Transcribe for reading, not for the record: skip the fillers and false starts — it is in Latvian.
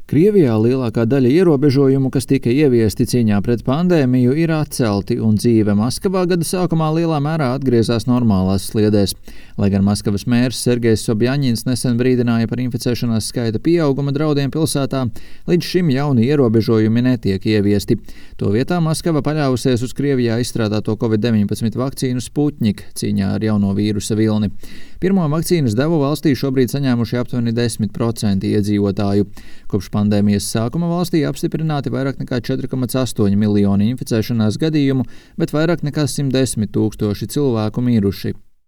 Krievijā lielākā daļa ierobežojumu, kas tika ieviesti cīņā pret pandēmiju, ir atcelti, un dzīve Maskavā gada sākumā lielā mērā atgriezās normālās sliedēs. Lai gan Maskavas mērs Sergejs Sobjaņins nesen brīdināja par inficēšanās skaita pieauguma draudiem pilsētā, līdz šim jauni ierobežojumi netiek ieviesti. To vietā Maskava paļāvusies uz Krievijā izstrādāto Covid-19 vakcīnu Sputnik cīņā ar jauno vīrusa vilni. Pirmo vakcīnas devu valstī šobrīd saņēmuši aptuveni 10% iedzīvotāju. Kopš pandēmijas sākuma valstī apstiprināti vairāk nekā 4,8 miljoni inficēšanās gadījumu, bet vairāk nekā 110 000 cilvēku miruši.